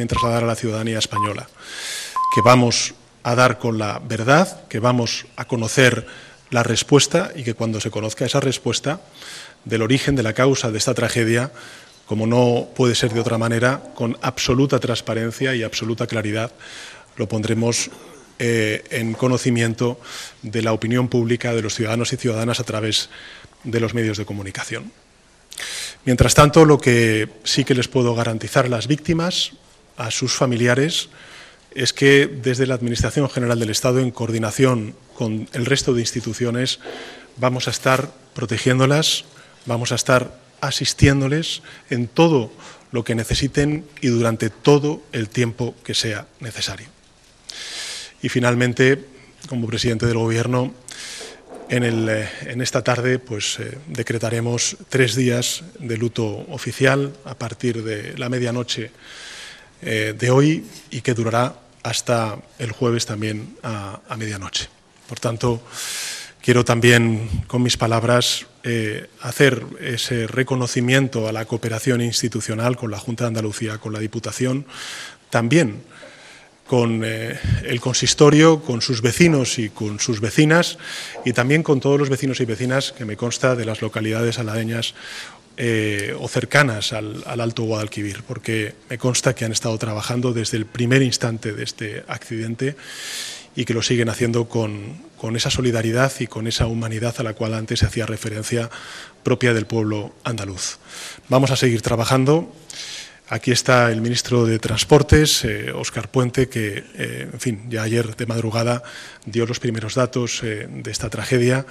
trasladar a la ciudadanía española, que vamos a dar con la verdad, que vamos a conocer la respuesta y que cuando se conozca esa respuesta del origen, de la causa de esta tragedia, como no puede ser de otra manera, con absoluta transparencia y absoluta claridad, lo pondremos en conocimiento de la opinión pública, de los ciudadanos y ciudadanas a través de los medios de comunicación. Mientras tanto, lo que sí que les puedo garantizar a las víctimas, a sus familiares, es que desde la Administración General del Estado, en coordinación con el resto de instituciones, vamos a estar protegiéndolas, vamos a estar asistiéndoles en todo lo que necesiten y durante todo el tiempo que sea necesario. Y finalmente, como presidente del Gobierno, en esta tarde decretaremos 3 días de luto oficial a partir de la medianoche de hoy y que durará hasta el jueves también a medianoche. Por tanto, quiero también con mis palabras hacer ese reconocimiento a la cooperación institucional con la Junta de Andalucía, con la Diputación, también con el consistorio, con sus vecinos y con sus vecinas y también con todos los vecinos y vecinas que me consta de las localidades aladeñas o cercanas al Alto Guadalquivir, porque me consta que han estado trabajando desde el primer instante de este accidente y que lo siguen haciendo con esa solidaridad y con esa humanidad a la cual antes se hacía referencia propia del pueblo andaluz. Vamos a seguir trabajando. Aquí está el ministro de Transportes, Óscar Puente, que, ya ayer de madrugada dio los primeros datos de esta tragedia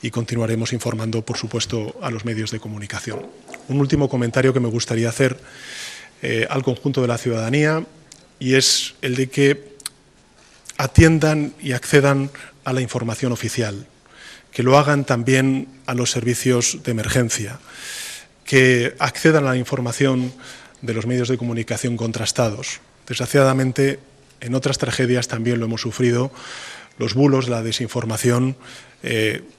y continuaremos informando, por supuesto, a los medios de comunicación. Un último comentario que me gustaría hacer al conjunto de la ciudadanía y es el de que atiendan y accedan a la información oficial, que lo hagan también a los servicios de emergencia, que accedan a la información de los medios de comunicación contrastados. Desgraciadamente, en otras tragedias también lo hemos sufrido. Los bulos, la desinformación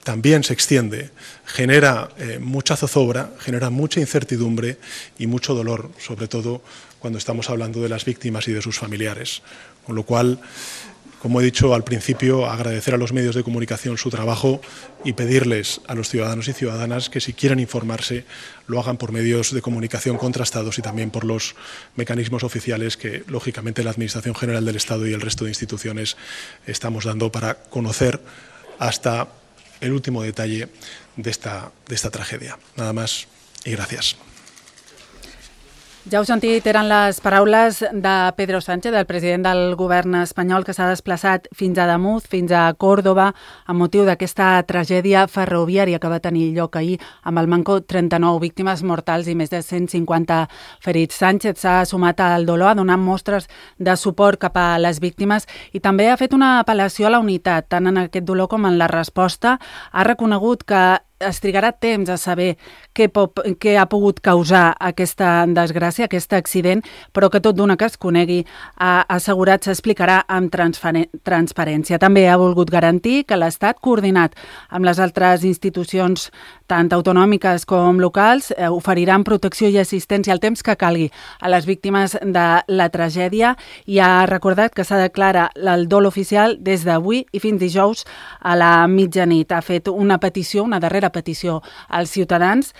también se extiende, genera mucha zozobra, genera mucha incertidumbre y mucho dolor, sobre todo cuando estamos hablando de las víctimas y de sus familiares. Con lo cual, como he dicho al principio, agradecer a los medios de comunicación su trabajo y pedirles a los ciudadanos y ciudadanas que si quieren informarse lo hagan por medios de comunicación contrastados y también por los mecanismos oficiales que, lógicamente, la Administración General del Estado y el resto de instituciones estamos dando para conocer hasta el último detalle de esta tragedia. Nada más y gracias. Ja heu sentit, eren les paraules de Pedro Sánchez, del president del govern espanyol, que s'ha desplaçat fins a Ademuz, fins a Còrdova, amb motiu d'aquesta tragèdia ferroviària que va tenir lloc ahir amb el manco 39 víctimes mortals i més de 150 ferits. Sánchez s'ha sumat al dolor, ha donat mostres de suport cap a les víctimes i també ha fet una apel·lació a la unitat, tant en aquest dolor com en la resposta. Ha reconegut que es trigarà temps a saber què ha pogut causar aquesta desgràcia, aquest accident, però que tot d'una que es conegui, ha assegurat s'explicarà amb transparència. També ha volgut garantir que l'Estat, coordinat amb les altres institucions, tant autonòmiques com locals, oferiran protecció i assistència al temps que calgui a les víctimes de la tragèdia i ha recordat que s'ha declarat el dol oficial des d'avui i fins dijous a la mitjanit. Ha fet una petició, una darrera petició als ciutadans.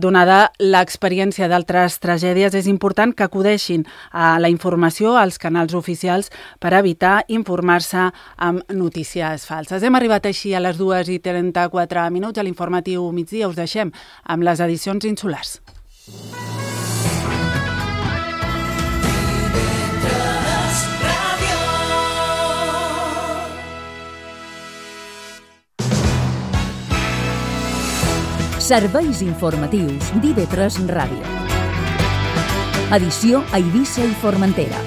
Donada l'experiència d'altres tragèdies, és important que acudeixin a la informació, als canals oficials, per evitar informar-se amb notícies falses. Hem arribat així a les 2:34 a l'informatiu migdia. Us deixem amb les edicions insulars. Serveis informatius d'IV3 Ràdio. Edició a Eivissa i Formentera.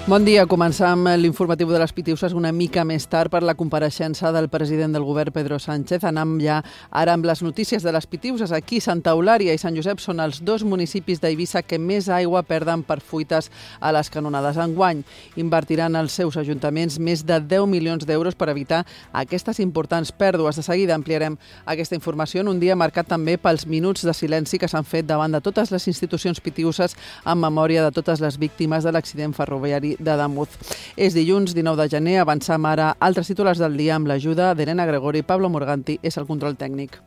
Bon dia. Començam l'informatiu de les Pitiuses una mica més tard per la compareixença del president del govern, Pedro Sánchez. Anem ja ara amb les notícies de les Pitiuses. Aquí, Santa Eulària i Sant Josep són els dos municipis d'Eivissa que més aigua perden per fuites a les canonades. Enguany invertiran els seus ajuntaments més de 10 milions d'euros per evitar aquestes importants pèrdues. De seguida ampliarem aquesta informació en un dia marcat també pels minuts de silenci que s'han fet davant de totes les institucions pitiuses en memòria de totes les víctimes de l'accident ferroviari d'Ademuz. És dilluns 19 de gener, avancem ara altres titulars del dia amb l'ajuda d'Elena Gregori. Pablo Morganti és el control tècnic.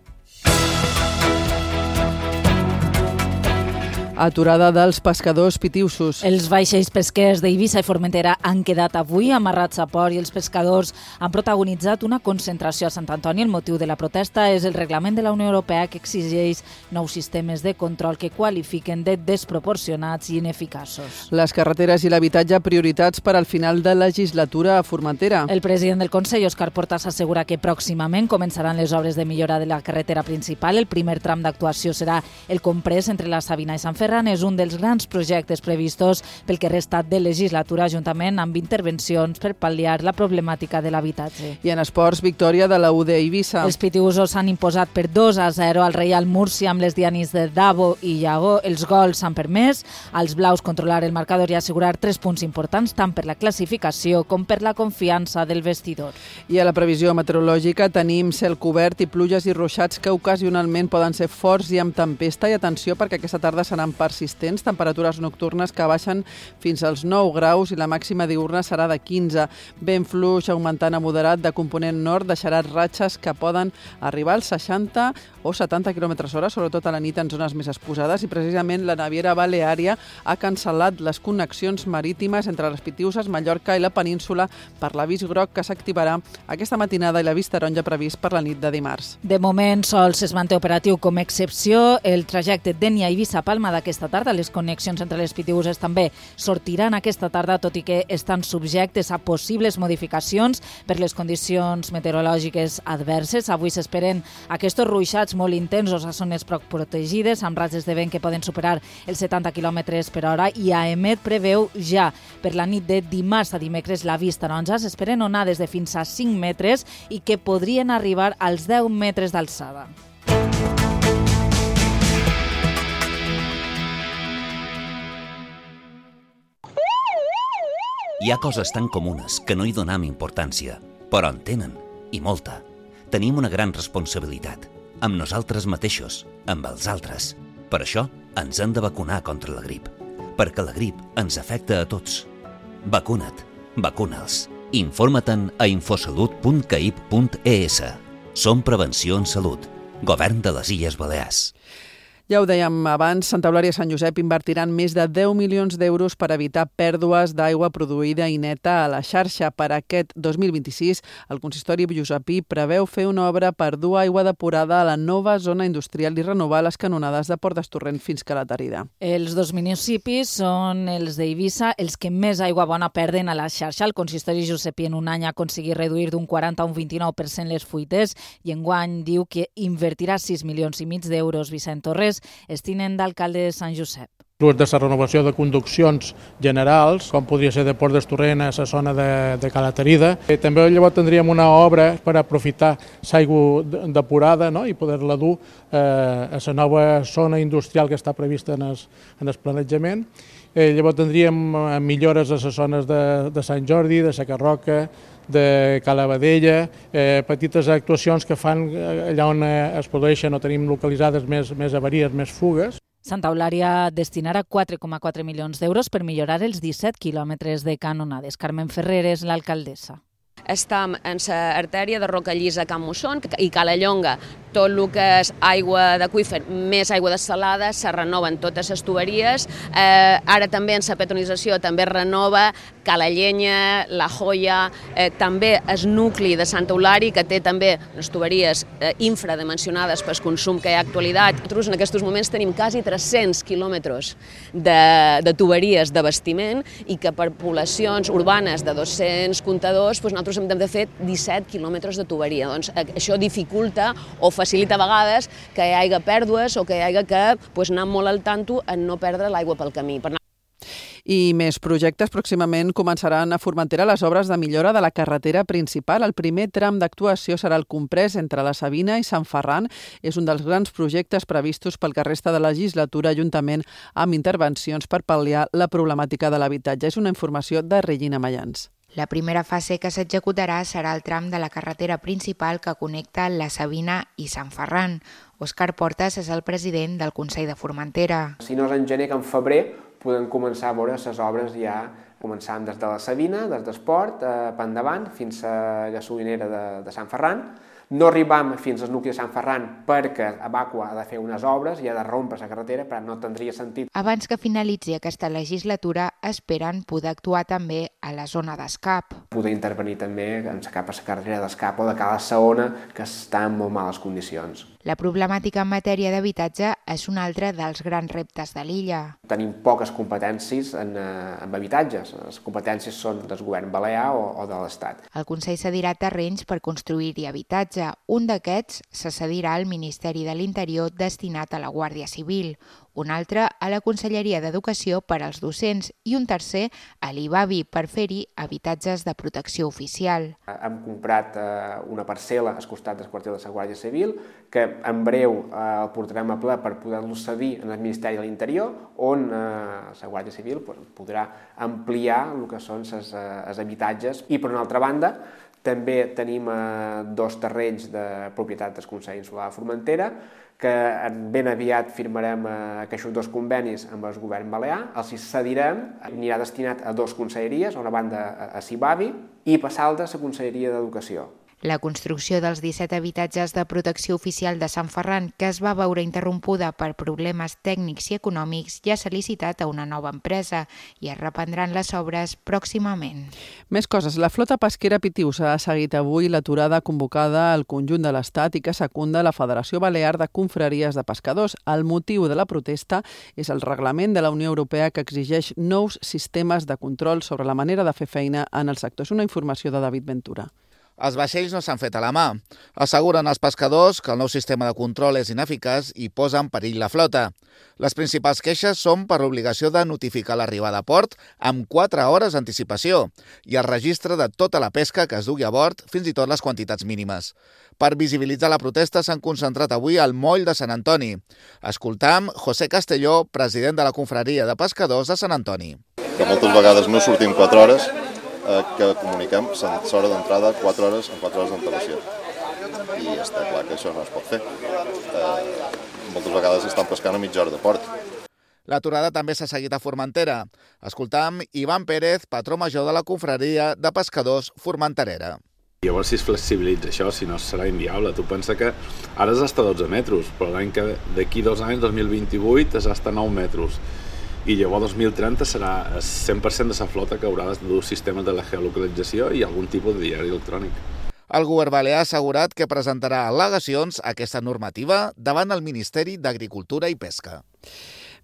Aturada dels pescadors pitiusos. Els vaixells pesquers d'Eivissa i Formentera han quedat avui amarrats a port i els pescadors han protagonitzat una concentració a Sant Antoni. El motiu de la protesta és el reglament de la Unió Europea que exigeix nous sistemes de control que qualifiquen de desproporcionats i ineficaços. Les carreteres i l'habitatge prioritats per al final de legislatura a Formentera. El president del Consell, Òscar Portas, assegura que pròximament començaran les obres de millora de la carretera principal. El primer tram d'actuació serà el comprès entre la Sabina i Sant Ferran. És un dels grans projectes previstos pel que resta de legislatura, juntament amb intervencions per pal·liar la problemàtica de l'habitatge. I en esports, victòria de la UD Eivissa. Els pitiusos s'han imposat per 2-0 al Reial Múrcia amb les dianis de Davo i Iago. Els gols s'han permès als blaus controlar el marcador i assegurar 3 punts importants tant per la classificació com per la confiança del vestidor. I a la previsió meteorològica tenim cel cobert i pluges i ruixats que ocasionalment poden ser forts i amb tempesta. I atenció perquè aquesta tarda seran persistents, temperatures nocturnes que baixen fins als 9 graus i la màxima diurna serà de 15. Vent fluix augmentant a moderat de component nord deixarà ratxes que poden arribar als 60 o 70 km/h, sobretot a la nit en zones més exposades, i precisament la Naviera Baleària ha cancel·lat les connexions marítimes entre les Pitiuses, Mallorca i la península per l'avís groc que s'activarà aquesta matinada i l'avís taronja previst per la nit de dimarts. De moment sols es manté operatiu com a excepció el trajecte Dénia-Eivissa-Palma d'aquesta tarda. Les connexions entre les Pitiuses també sortiran aquesta tarda, tot i que estan subjectes a possibles modificacions per les condicions meteorològiques adverses. Avui s'esperen aquests ruixats molt intensos a zones poc protegides, amb ratxes de vent que poden superar els 70 km/h, i AEMET preveu ja per la nit de dimarts a dimecres l'avís taronja. S'esperen onades de fins a 5 metres i que podrien arribar als 10 metres d'alçada. Hi ha coses tan comunes que no hi donem importància, però en tenen, i molta. Tenim una gran responsabilitat, amb nosaltres mateixos, amb els altres. Per això ens hem de vacunar contra la grip, perquè la grip ens afecta a tots. Vacuna't, vacuna'ls. Informa-te'n a infosalut.caip.es. Som Prevenció en Salut, Govern de les Illes Balears. Ja ho dèiem abans, Santa Eulària i Sant Josep invertiran més de 10 milions d'euros per evitar pèrdues d'aigua produïda i neta a la xarxa. Per aquest 2026, el consistori josepí preveu fer una obra per dur aigua depurada a la nova zona industrial i renovar les canonades de Port d'Estorrent fins que la Tarida. Els dos municipis són els d'Eivissa els que més aigua bona perden a la xarxa. El consistori josepí en un any ha aconseguit reduir d'un 40 a un 29% les fuites i enguany diu que invertirà 6,5 milions d'euros. Vicent Torres és tinent d'alcalde de Sant Josep. Des de la renovació de conduccions generals, com podria ser de Port d'Estorrent a la zona de Cala Tarida. També llavors tindríem una obra per aprofitar l'aigua depurada, no? I poder-la dur a la nova zona industrial que està prevista en el planejament. Llavors tindríem millores a les zones de Sant Jordi, de la Carroca, de Cala Badella, petites actuacions que fan allà on es produeixen o tenim localitzades més avaries, més fugues. Santa Eulària destinarà 4,4 milions d'euros per millorar els 17 quilòmetres de canonades. Carmen Ferrer és l'alcaldessa. Estem en l'artèria de Rocallissa a Can Musson i Calallonga. Tot el que és aigua d'aqüífer, més aigua dessalada, se renoven totes les tuberies. Ara també en la petronització també renova Calallenya, La Joia, també el nucli de Santa Eulària, que té també les tuberies infradimensionades pel consum que hi ha actualitat. Nosaltres en aquests moments tenim quasi 300 quilòmetres de tuberies d'abastiment i que per poblacions urbanes de 200 comptadors nosaltres hem de fer 17 quilòmetres de tuberia. Doncs això dificulta o facilita a vegades que hi hagi pèrdues o que hi hagi que anar molt al tanto en no perdre l'aigua pel camí. I més projectes. Pròximament començaran a Formentera les obres de millora de la carretera principal. El primer tram d'actuació serà el comprès entre la Sabina i Sant Ferran. És un dels grans projectes previstos pel que resta de la legislatura, juntament amb intervencions per pal·liar la problemàtica de l'habitatge. És una informació de Regina Mayans. La primera fase que s'executarà serà el tram de la carretera principal que connecta la Sabina i Sant Ferran. Òscar Portas és el president del Consell de Formentera. Si no és en gener que en febrer podem començar a veure les obres ja començant des de la Sabina, des d'Esport, per endavant, fins a la gasolinera de Sant Ferran. No arribam fins al nucli de Sant Ferran perquè Abaqua ha de fer unes obres i ha de rompre la carretera, però no tindria sentit. Abans que finalitzi aquesta legislatura, esperen poder actuar també a la zona d'Escap. Poder intervenir també cap a la carretera d'Escap o de Cala Saona, que està en molt males condicions. La problemàtica en matèria d'habitatge és un altre dels grans reptes de l'illa. Tenim poques competències en habitatges. Les competències són del govern balear o de l'Estat. El Consell cedirà terrenys per construir-hi habitatge. Un d'aquests se cedirà al Ministeri de l'Interior destinat a la Guàrdia Civil, un altre a la Conselleria d'Educació per als docents i un tercer a l'IBAVI per fer-hi habitatges de protecció oficial. Hem comprat una parcel·la al costat del quartel de la Guàrdia Civil que en breu el portarem a ple per poder-lo cedir en el Ministeri de l'Interior, on la Guàrdia Civil podrà ampliar el que són els habitatges. I per una altra banda, també tenim 2 terrenys de propietat del Consell Insular de Formentera, que ben aviat firmarem aquests 2 convenis amb el govern balear, els cedirem, anirà destinat a 2 conselleries, a una banda a CIBAVI i per l'altra a la Conselleria d'Educació. La construcció dels 17 habitatges de protecció oficial de Sant Ferran, que es va veure interrompuda per problemes tècnics i econòmics, ja s'ha licitat a una nova empresa i es reprendran les obres pròximament. Més coses. La flota pesquera Pitiusa ha seguit avui l'aturada convocada al conjunt de l'Estat i que secunda la Federació Balear de Confraries de Pescadors. El motiu de la protesta és el reglament de la Unió Europea que exigeix nous sistemes de control sobre la manera de fer feina en el sector. És una informació de David Ventura. Els vaixells no s'han fet a la mà. Asseguren als pescadors que el nou sistema de control és ineficaç i posa en perill la flota. Les principals queixes són per l'obligació de notificar l'arribada a port amb 4 hores d'anticipació i el registre de tota la pesca que es dugui a bord, fins i tot les quantitats mínimes. Per visibilitzar la protesta s'han concentrat avui al moll de Sant Antoni. Escoltam José Castelló, president de la Confraria de Pescadors de Sant Antoni. Que moltes vegades no sortim 4 hores, que comuniquem l'hora d'entrada 4 hores amb 4 hores d'antelació. I està clar que això no es pot fer. Moltes vegades estan pescant a mitja hora de port. L'aturada també s'ha seguit a Formentera. Escoltam Ivan Pérez, patró major de la Confraria de Pescadors Formenterera. Llavors, si es flexibilitza això, si no serà inviable. Tu pensa que ara és hasta 12 metres, però l'any que d'aquí 2 anys, 2028, és hasta 9 metres. I llavors 2030 serà el 100% de la flota que haurà de dur sistemes de la geolocalització i algun tipus de diari electrònic. El govern balear ha assegurat que presentarà al·legacions a aquesta normativa davant el Ministeri d'Agricultura i Pesca.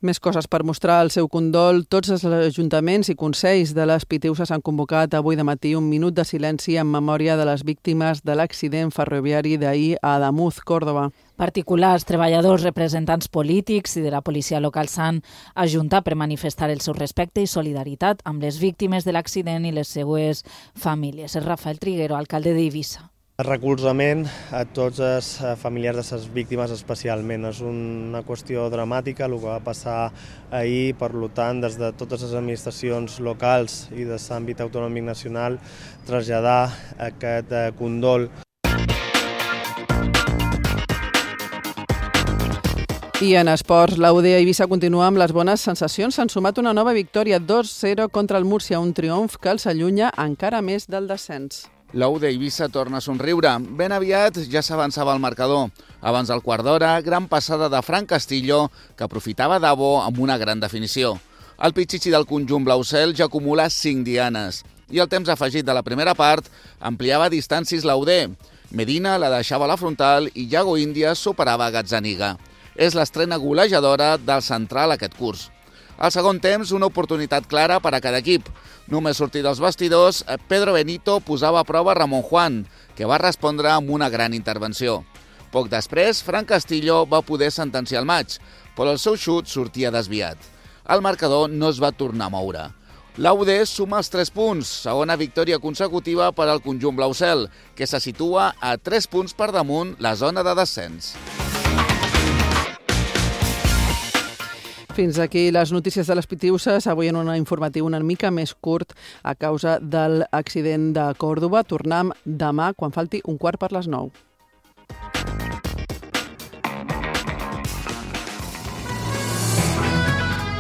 Més coses per mostrar el seu condol. Tots els ajuntaments i consells de les Pitiuses han convocat avui de matí un minut de silenci en memòria de les víctimes de l'accident ferroviari d'ahir a Ademuz, Còrdoba. Particulars, treballadors, representants polítics i de la policia local s'han ajuntat per manifestar el seu respecte i solidaritat amb les víctimes de l'accident i les seues famílies. És Rafael Triguero, alcalde d'Eivissa. El recolzament a tots els familiars de les víctimes especialment. És una qüestió dramàtica el que va passar ahir, per tant, des de totes les administracions locals i de l'àmbit autonòmic nacional, traslladar aquest condol. I en esports, la UD Eivissa continua amb les bones sensacions. S'han sumat una nova victòria 2-0 contra el Múrcia, un triomf que els allunya encara més del descens. La UD Eivissa torna a somriure. Ben aviat ja s'avançava el marcador. Abans del quart d'hora, gran passada de Fran Castillo, que aprofitava Davo amb una gran definició. El pitxitxi del conjunt blaucel ja acumula 5 dianes. I el temps afegit de la primera part ampliava distàncies la UD. Medina la deixava a la frontal i Iago Índias superava Gazzaniga. És l'estrena golejadora del central aquest curs. Al segon temps, una oportunitat clara per a cada equip. Només sortir dels vestidors, Pedro Benito posava a prova Ramon Juan, que va respondre amb una gran intervenció. Poc després, Fran Castillo va poder sentenciar el maig, però el seu xut sortia desviat. el marcador no es va tornar a moure. L'AUD suma els 3 punts, segona victòria consecutiva per al conjunt blaucel, que se situa a 3 punts per damunt la zona de descens. Fins aquí les notícies de les Pitiuses, avui en un informatiu una mica més curt a causa de l'accident de Còrdova. Tornem demà quan falti 9:15 per les 9.